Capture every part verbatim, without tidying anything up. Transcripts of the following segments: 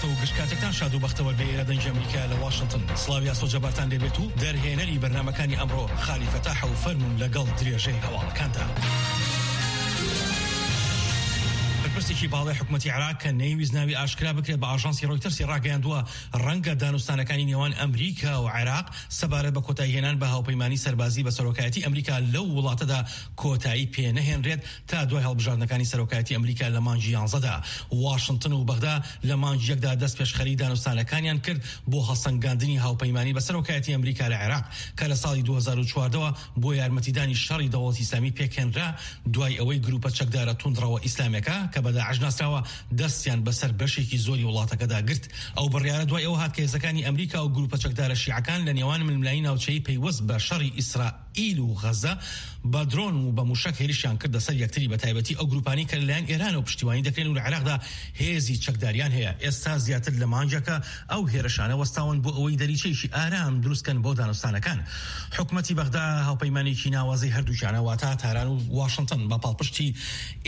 و گشت کاتێکتان شاد و بەختەوەر بێ. ئێرە دەنگی ئەمریکا لە واشنگتن. سڵاوی ئاسۆ جەبارتان لێبێت و دەرهێنەری بەرنامەکانی ئەمڕۆ خالی فەتاح و فەرمون لەگەڵ درێژەی هەواڵەکاندا. بەرپرسێکی باڵای حکوومەتی عێراق کە نەیویست ناوی ئاشکرا بکرێت، بە ئاژانسی ڕۆیتەرسی ڕاگەیاندووە، ڕەنگە دانوستانەکانی نێوان ئەمریکا و عێراق سەبارەت بە کۆتاییهێنان بە هاوپەیمانی سەربازی بە سەرۆکایەتی ئەمریکا لەو وڵاتەدا کۆتایی پێ نەهێنرێت تا دوای هەڵبژاردنەکانی سەرۆکایەتی ئەمریکا لە مانگی یانزەدا. واشنگتن و بەغدا لە مانگی یەکدا دەست پێشخەری دانوستانەکانیان کرد بۆ هەڵسەنگاندنی هاوپەیمانی بە سەرۆکایەتی ئەمریکا لە عێراق، کە لە ساڵی دوو هەزار و چواردەوە بۆ یارمەتیدانی شەڕی دەوڵەتی ئیسلامی پێکهێنرا، دوای ئەوەی گروپە چەکدارە توندڕەوە ئیسلامەکە کە بە داعش ناسراوە، دەستیان بەسەر بەشێکی زۆری وڵاتەکەدا گرت. ئەو بڕیارە دوای ئەوە هات کە هێزەکانی ئەمریکا و گروپە چەکدارە شیعەکان لە نێوان ململانی ناوچەیی پەیوەست بە شەڕی ئیسرائیل و غەزە بە درۆن و بە موشەک هێرشیان کردە سەر یەکتری، بە تایبەتی ئەو گروپانەی کە لەلایەن ئێرانەوە پشتیوانی دەکرێن و لە عێراقدا هێزی چەکداریان هەیە. ئێستا زیاتر لە مانگێکە ئەو هێرشانە وەستاون بۆ ئەوەی دەریچەیەکی ئارام دروستکەن بۆ دانوستانەکان. حکومەتی بەغدا هاوپەیمانێکی ناوازەی هەردووکیانە، واتە تاران و واشنگتن، بە پاڵپشتی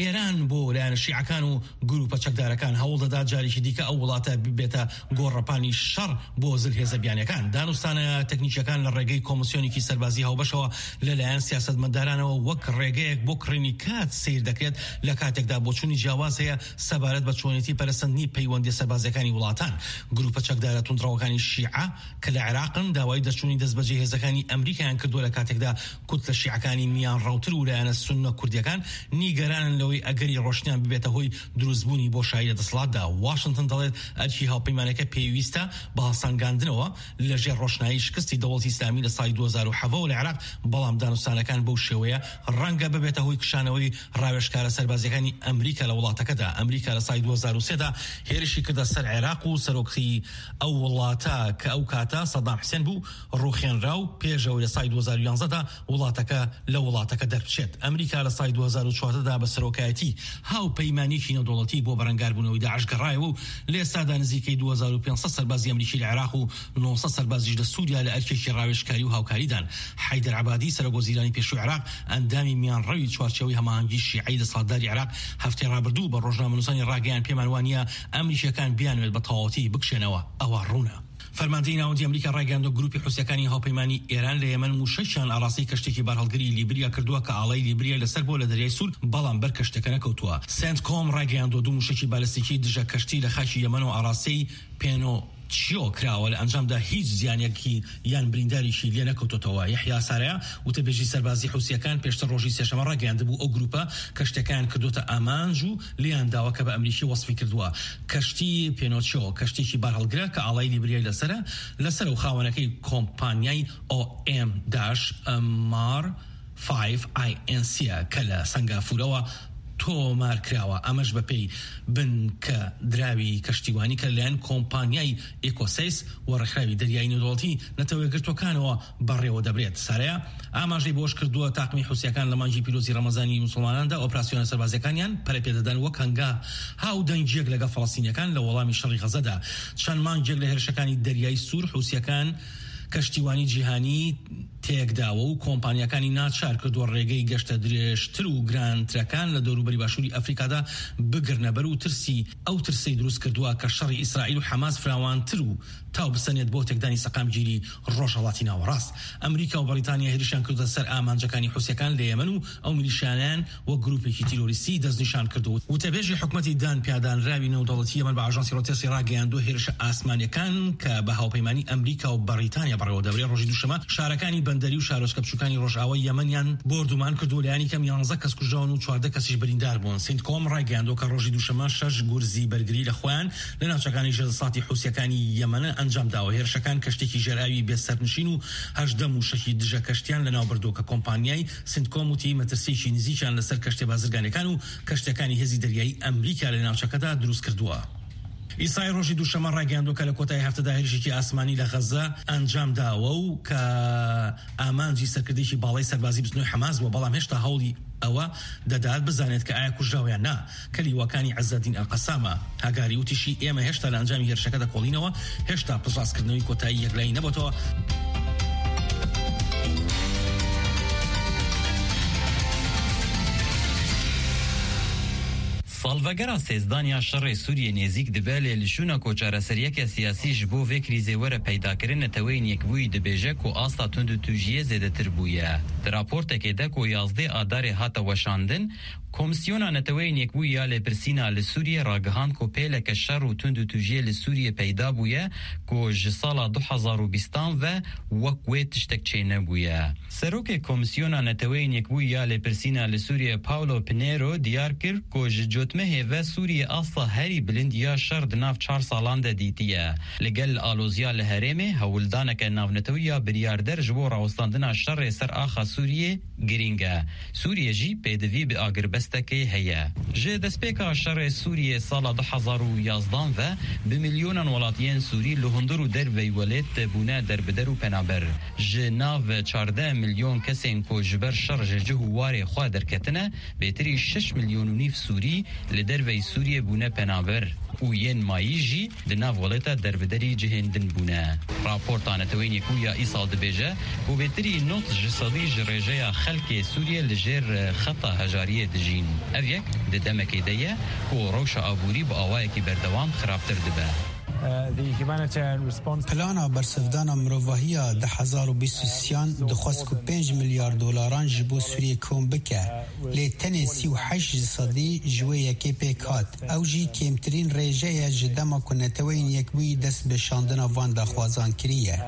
ئێران بۆ لایەنە شیعەکان و گروپە چەکدارەکان هەوڵ دەدات جارێکی دیکە ئەو وڵاتە ببێتە گۆڕەپانی شەڕ بۆ زل هێزە بیانیەکان. دانوستانە تەکنیکیەکان لە ڕێگەی کۆمسیۆنێکی سەربازی هاوبەشەوە لەلایەن سیاسەتمەدارانەوە وەک ڕێگەیەک بۆ کڕینی کات سیر دەکرێت، لە کاتێکدا بۆچوونی جیاواز هەیە سەبارەت بە چۆنێتی پەرەسەندنی پەیوەندی سەربازیەکانی وڵاتان. گروپە چەکدارە توندڕەوەکانی شیعە کە لە عێراقن داوای دەرچوونی دەستبەجێ هێزەکانی ئەمریکایان کردووە، لە کاتێکدا کوتلە شیعەکانی میان ڕەوتر و لایەنە سوننە کوردیەکان نیگەرانن لەوەی ئەگەری ڕۆشنیان ببێتە هۆی دروستبوونی بۆشایی لە دەسەڵاتدا. واشنگتن دەڵێت ئەرکی هاوپەیمانەکە پێویستە بە هەڵسەنگاندنەوە لە ژێر ڕۆشنایی شکستی دەوڵەتی ئیسلامی لە ساڵی دوو هەزار و حەڤە و لە عێراق، بەڵام دانوستانەکان بەو شێوەیە ڕەنگە ببێتە هۆی کشانەوەی ڕاوێژکارە سەربازیەکانی ئەمریکا لە وڵاتەکەدا. ئەمریکا لە ساڵی دوو هەزار و سێ دا هێرشی کردە سەر عێراق و سەرۆکی ئەو وڵاتە کە ئەو کاتە سەدام حسێن بوو، ڕوخێنرا و پێشەوەی لە ساڵی دوو هەزار و یانزە دا وڵاتەکە لە وڵاتەکە دەربچێت. ئەمریکا لە ساڵی دوو هەزار و چواردە دا بە سەرۆکایەتی هاوپەیمانیەکی نێودەوڵەتی بۆ بەرەنگاربوونەوەی داعش گەڕایەوە و لە ئێستادا نزیکەی دوو هەزار و پێنج سەد سەربازی ئەمریکی لە عێراق و نۆ سەد سەربازیش لە سووریا لە ئەرکێکی ڕاوێژکاری و هاوکاریدان. حەیدەر عەبادی، سەرۆک وەزیرانی پێشووی عێراق، ئەندامی میانڕەوی چوارچێوەی هەماهەنگی شیعەی دەسەڵاتداری عێراق، هەفتەی ڕابردوو بە ڕۆژنامەنووسانی ڕاگەیاند، پێمان وانییە ئەمریکیەکان بیانوێت بە تەواوەتی بکشێنەوە. ئەوە ڕوونە. فەرماندەی ناوەندی ئەمریکا ڕایگەاندووە، گروپی حوسیەکانی هاوپەیمانی ئێران لە یەمەن موشەکیان ئاڕاستەی کەشتێکی بارهەڵگری لیبریا کردووە کە ئاڵای لیبریای لەسەر بووە لە دەریای سوور، بەڵام بەر کەشتەکە نەکەوتووە. سنتکۆم ڕایگەیاندووە، دوو موشەکی بالستیکی دژە کەشتی لە خاکی یەمەنەوە ئاڕاستەی پێنۆچیۆ کراوە، لە ئەنجامدا هیچ زیانێکی یان برینداریشی لێ نەکەوتۆتەوە. یەحیا سارەیا، وتەبێژی سەربازی حوسیەکان، پێشتر ڕۆژی سێشەممە ڕاگەیاندبوو ئەو گروپە کەشتەکەیان کردوتە ئامانج و لێیان داوە کە بە ئەمریکی وەسفی کردووە. کەشتی پێنۆچیۆ، کەشتێکی بارهەڵگرە کە ئاڵای لیبریای لەسەرە، لەسەر و خاوەنەکەی کۆمپانیای ئۆ ئێم داش ئەمار فایڤ ئای ئێن سی کە لە سەنگافورەوە تۆمار کراوە. ئەمەش بە پێی بنکە دراوی کەشتیوانی کە لەلایەن کۆمپانیای ئێکۆسەیس و ڕێکخراوی دەریایی نێودەوڵەتی نەتەوە یەکگرتووەکانەوە بەڕێوە دەبرێت. سارەیا ئاماژەی بۆش کردووە، تاقمی حوسیەکان لە مانگی پیرۆزی ڕەمەزانی موسڵماناندا ئۆپراسیۆنە سەربازیەکانیان پەرەپێدەدان وەک هەنگا ها و دەنگیەک لەگەڵ فەڵەستینیەکان لە وەڵامی شەڕی غەزەدا. چەند مانگێک لە هێرشەکانی دەریایی سوور، حوسیەکان کەشتیوانی جیهانی تێکداوە و کۆمپانیاکانی ناچار کردووە ڕێگەی گەشتە درێژتر و گرانترەکان لە دەوروبەری باشووری ئەفریقادا بگرنە بەر و ترسی، ئەو ترسەی دروست کردووە کە شەڕی ئیسرائیل و حەماس فراوانتر و تاو بسەنێت بۆ تێکدانی سەقامگیری ڕۆژهەڵاتی ناوەڕاست. ئەمریکا و بەریتانیا هێرشیان کردە سەر ئامانجەکانی حوسیەکان لە یەمەن و ئەو میلیشیانەیان وەک گروپێکی تیرۆریستی دەستنیشان کردووە. وتەبێژی حکومەتی دان پیادانراوی نێودەوڵەتی یەمەن بە ئاژانسی ڕۆتێرسی ڕاگەیاندووە، هێرشە ئاسمانیەکان کە بە هاوپەیمانی ئەمریکا و بەریتانیا بەڕێوە دەبرێت، ڕۆژی دووشەمە شارەکانی بەندەری و شارۆچکە بچووکانی ڕۆژئاوای یەمەنیان بۆردومان کردو، لە یانی کەم یانزە کەس کوژراون و چواردە کەسیش بریندار بوون. سینتکۆم ڕایگەیاندووە کە ڕۆژی دووشەمە شەش گورزی بەرگری لە خۆیان لە ناوچەکانی ژێردەسەڵاتی حوسیەکانی یەمەن ئەنجام داوە. هێرشەکان کەشتێکی ژێرئاوی بێسەرنشین و هەژدە موشەکی دژە کەشتیان لە ناو بردووە کە کۆمپانیای سنتکۆم وتی مەترسیەکی نزیکیان لەسەر کەشتە بازرگانەکان و کەشتەکانی هێزی دەریایی ئەمریکا لە ناوچەکەدا دروست کردووە. ئیسای ڕۆژی دووشەمە ڕاگەیاندووە کە لە کۆتایی هەفتەدا هێرشێکی ئاسمانی لە غەزە ئەنجام داوە و کە ئامانجی سەرکردێکی باڵای سەربازی بزنەوەی حەماس بووە، بەڵام هێشتا هەوڵی ئەوە دەدات بزانێت کە ئایا کوژراوە یان نا، کە لیواکانی عەزەدین ئەلقەسامە. هاگاری وتیشی، ئێمە هێشتا لە ئەنجامی هێرشەکە دەکۆڵینەوە، هێشتا پشتڕاستکردنەوەی کۆتایی یەکلایی نەبووەتەوە. Salvegera sêzdan ya şerê Sûriyê nêzîk dibe, lê li şûna ku çareseriyeke siyasî ji bo vê krîzê were peydakirin, Neteweyên Yekbûyî dibêje ku asta tundûtûjiyê zêdetir bûye. Di raportekê de ku yazdê Adarê hate weşandin, Komîsyona Neteweyên Yekbûyî ya Lêpirsîna li Sûriyê ragihand ku pêleke şer û tundûtûjiyê li Sûriyê peyda bûye ku ji sala du hezar û bîstan ve wek wê tiştek çênebûye. Serokê Komîsyona Neteweyên Yekbûyî ya Lêpirsîna li Sûriyê Paulo Pinheiro diyar kir ku ji cotmehê ve Sûriyê asta herî bilind ya şer di nav çar salan de dîtiye. Li gel aloziya li herêmê, hewldaneke navnetewî ya biryarder ji bo rawestandina şerê ser axa Sûriyê girîng e. Sûriye jî pêdivî bi agirbestekê heye. Ji destpêka şerê Sûriyê sala du hezar û yazdan ve bi milyonan welatiyên Sûrî li hundir û derveyî welêt bûne derbider û penaber. Ji nav çardeh milyon kesên ku ji ber şer ji cih û warê xwe derketine, bêtirî şeş milyon û nîv Sûrî li derveyî Sûriyê bûne penaber û yên mayî jî di nav welêta derbiderî cihên din bûne. Raporta Neteweyên Yekbûyî ya îsal dibêje ku bêtirî nod ji sedî ji rêjeya xelkê Sûriyê li jêr xeta hejariyê dijîn. Ev yek di demekê de ye ku rewşa aborî bi awayekî berdewam xirabtir dibe. Plana bersivdana mirovahiya du hezar û bîst û sêyan dixwest ku pênc milyar dolaran ji bo Sûriyê kom bike, lê tenê sî û heşt ji sedî ji wê yekê pêk hat. Ew jî kêmtirîn rêje ye ji dema ku Neteweyên Yekbûyî dest bi şandina van daxwazan kiriye.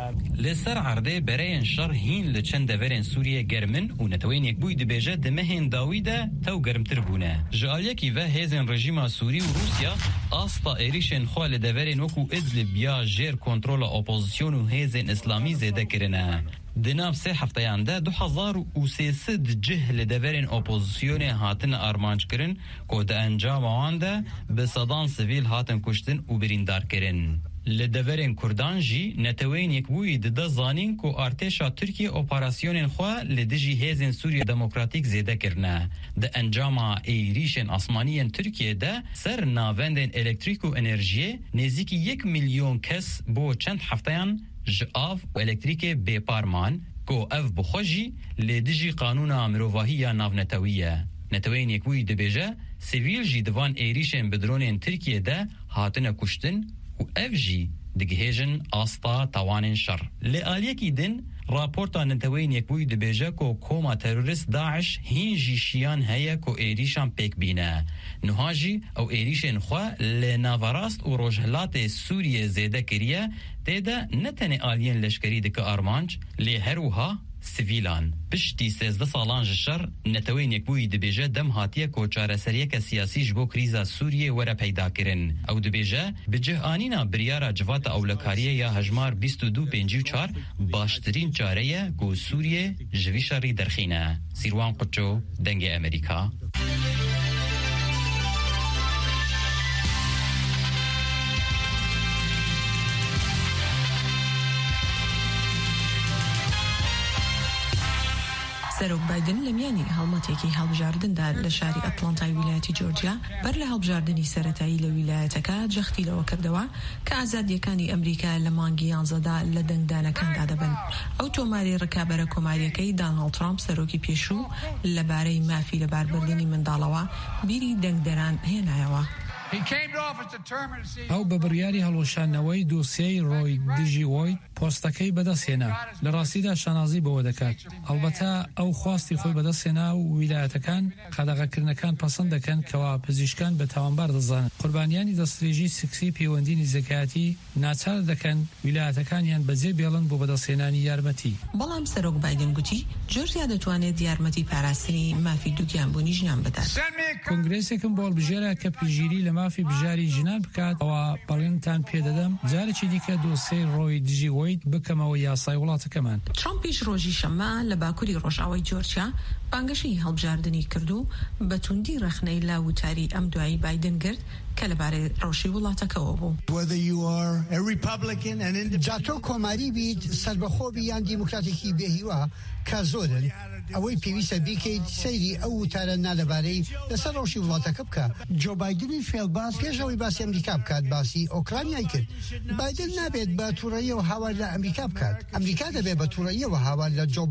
Li ser erdê bereyên şer hîn li çend deverên Sûriyê germ in û Neteweyên Yekbûyî dibêje di mehên dawî de tew germtir bûne. Ji aliyekî ve hêzên rejîma Sûrî û Rûsya asta êrîşên xwe li deverên wekû Idlib ya jêr kontrola opozîsyon û hêzên îslamî zêde kirine. Di nav sê hefteyan de du hezar û sê sed cih li deverên opozisyonê hatine armanckirin ku di encama wan de bi sedan sivîl hatin kuştin û birîndar kirin. Li deverên Kurdan jî Neteweyên Yekbûyî dide zanîn ku artêşa Tirkiyê operasyonên xwe li dijî hêzên Sûriya Demokratîk zêde kirine. Di encama êrîşên asmanî yên Tirkiyê de ser navendên elektrîk û enerjiyê nêzîkî yek milyon kes bo çend hefteyan ji av û elektrîkê bêpar man, ku ev bi xwe jî li dijî qanûna mirovahî ya navnetewî ye. Neteweyên Yekbûyî dibêje, sivîl jî di van êrîşên bi dronên Tirkiyê de hatine kuştin û ev jî digihêjin asta tawanên şer. Li aliyekî din, raporta Neteweyên Yekbûyî dibêje ku koma terorist DAIŞ hîn jî şiyan heye ku êrîşan pêk bîne. Niha jî ew êrîşên xwe li naverast û rojhilatê Sûriyê zêde kiriye, tê de ne tenê aliyên leşkerî dike armanc, lê her wiha sivîlan. Piştî sêzdeh salan ji şer, Neteweyên Yekbûyî dibêje dem hatiye ku çareseriyeke siyasî ji bo krîza Sûriyê were peydakirin. Ew dibêje, bi cih anîna biryara Civata Ewlekariyê ya hejmar bîst û du pêncî û çar baştirîn çare ye ku Sûriye ji vî şerî derxîne. Sîrwan Quço, Dengê Amerîka. سەرۆک بایدن لە میانی هەڵمەتێکی هەڵبژاردندا لە شاری ئەتلانتای ویلایەتی جۆرجیا بەر لە هەڵبژاردنی سەرەتایی لە ویلایەتەکە جەختی لەوە کردەوە کە ئازادیەکانی ئەمریکا لە مانگی یانزەدا لە دەنگدانەکاندا دەبن. ئەو تۆماری ڕکابەرە کۆماریەکەی داناڵد ترامپ سەرۆکی پێشوو لەبارەی مافی لەباربردنی منداڵەوە بیری دەنگدەران هێنایەوە. ئەو بە بڕیاری هەڵوەشاندنەوەی دۆسیەی ڕۆی دژی وۆید پۆستەکەی بەدەستهێنا. لە ڕاستیدا شانازی بەوە دەکات. ئەڵبەتە ئەو خواستی خۆی بەدەستهێنا و ویلایەتەکان قەدەغەکردنەکان پەسەند دەکەن کەوا پزیشکان بە تاوانبار دەزانن. قوربانیانی دەستدرێژی سکسی پەیوەندی نزیکایەتی ناچار دەکەن ویلایەتەکانیان بەجێ بێڵن بۆ بەدەستهێنانی یارمەتی. بەڵام سەرۆک بایدن گوتی جۆرجیا دەتوانێت یارمەتی پاراستنی مافی دووگیانبوونی ژنان بدات. کۆنگرێسێکم بۆ هەڵبژێرا کە پژیری لە مافی بژاری ژنان بکات، ئەوە بەڵێنتان پێدەدەم جارێکی دیکە دۆسیەی ڕۆی دژی وۆید بکەمەوە یاسای وڵاتەکەمان. ترامپیش ڕۆژی شەممە لە باکووری ڕۆژاوای جۆرجیا بانگەشەی هەڵبژاردنی کرد و بە توندی ڕەخنەی لە وتاری ئەم دوایی بایدن گرت کە لەبارەی ڕەوشی وڵاتەکەوە بوو. Whether you are a Republican, an independent, جا تۆ کۆماری بیت، سەربەخۆ بی یان دیموکراتێکی بێهیوا، کە زۆرن، ئەوەی پێویستە بیکەیت سەیری ئەو وتارە نالەبارەی لەسەر ڕەوشی وڵاتەکە بکە. جۆ بایدنی فێڵباز پێش ئەوەی باسی ئەمریکا بکات، باسی ئۆکرانیای کرد. بایدن نابێت بە تووڕەییەوە هاوار لە ئەمریکا بکات. ئەمریکا دەبێت بە تووڕەییەوە هاوار لە جۆ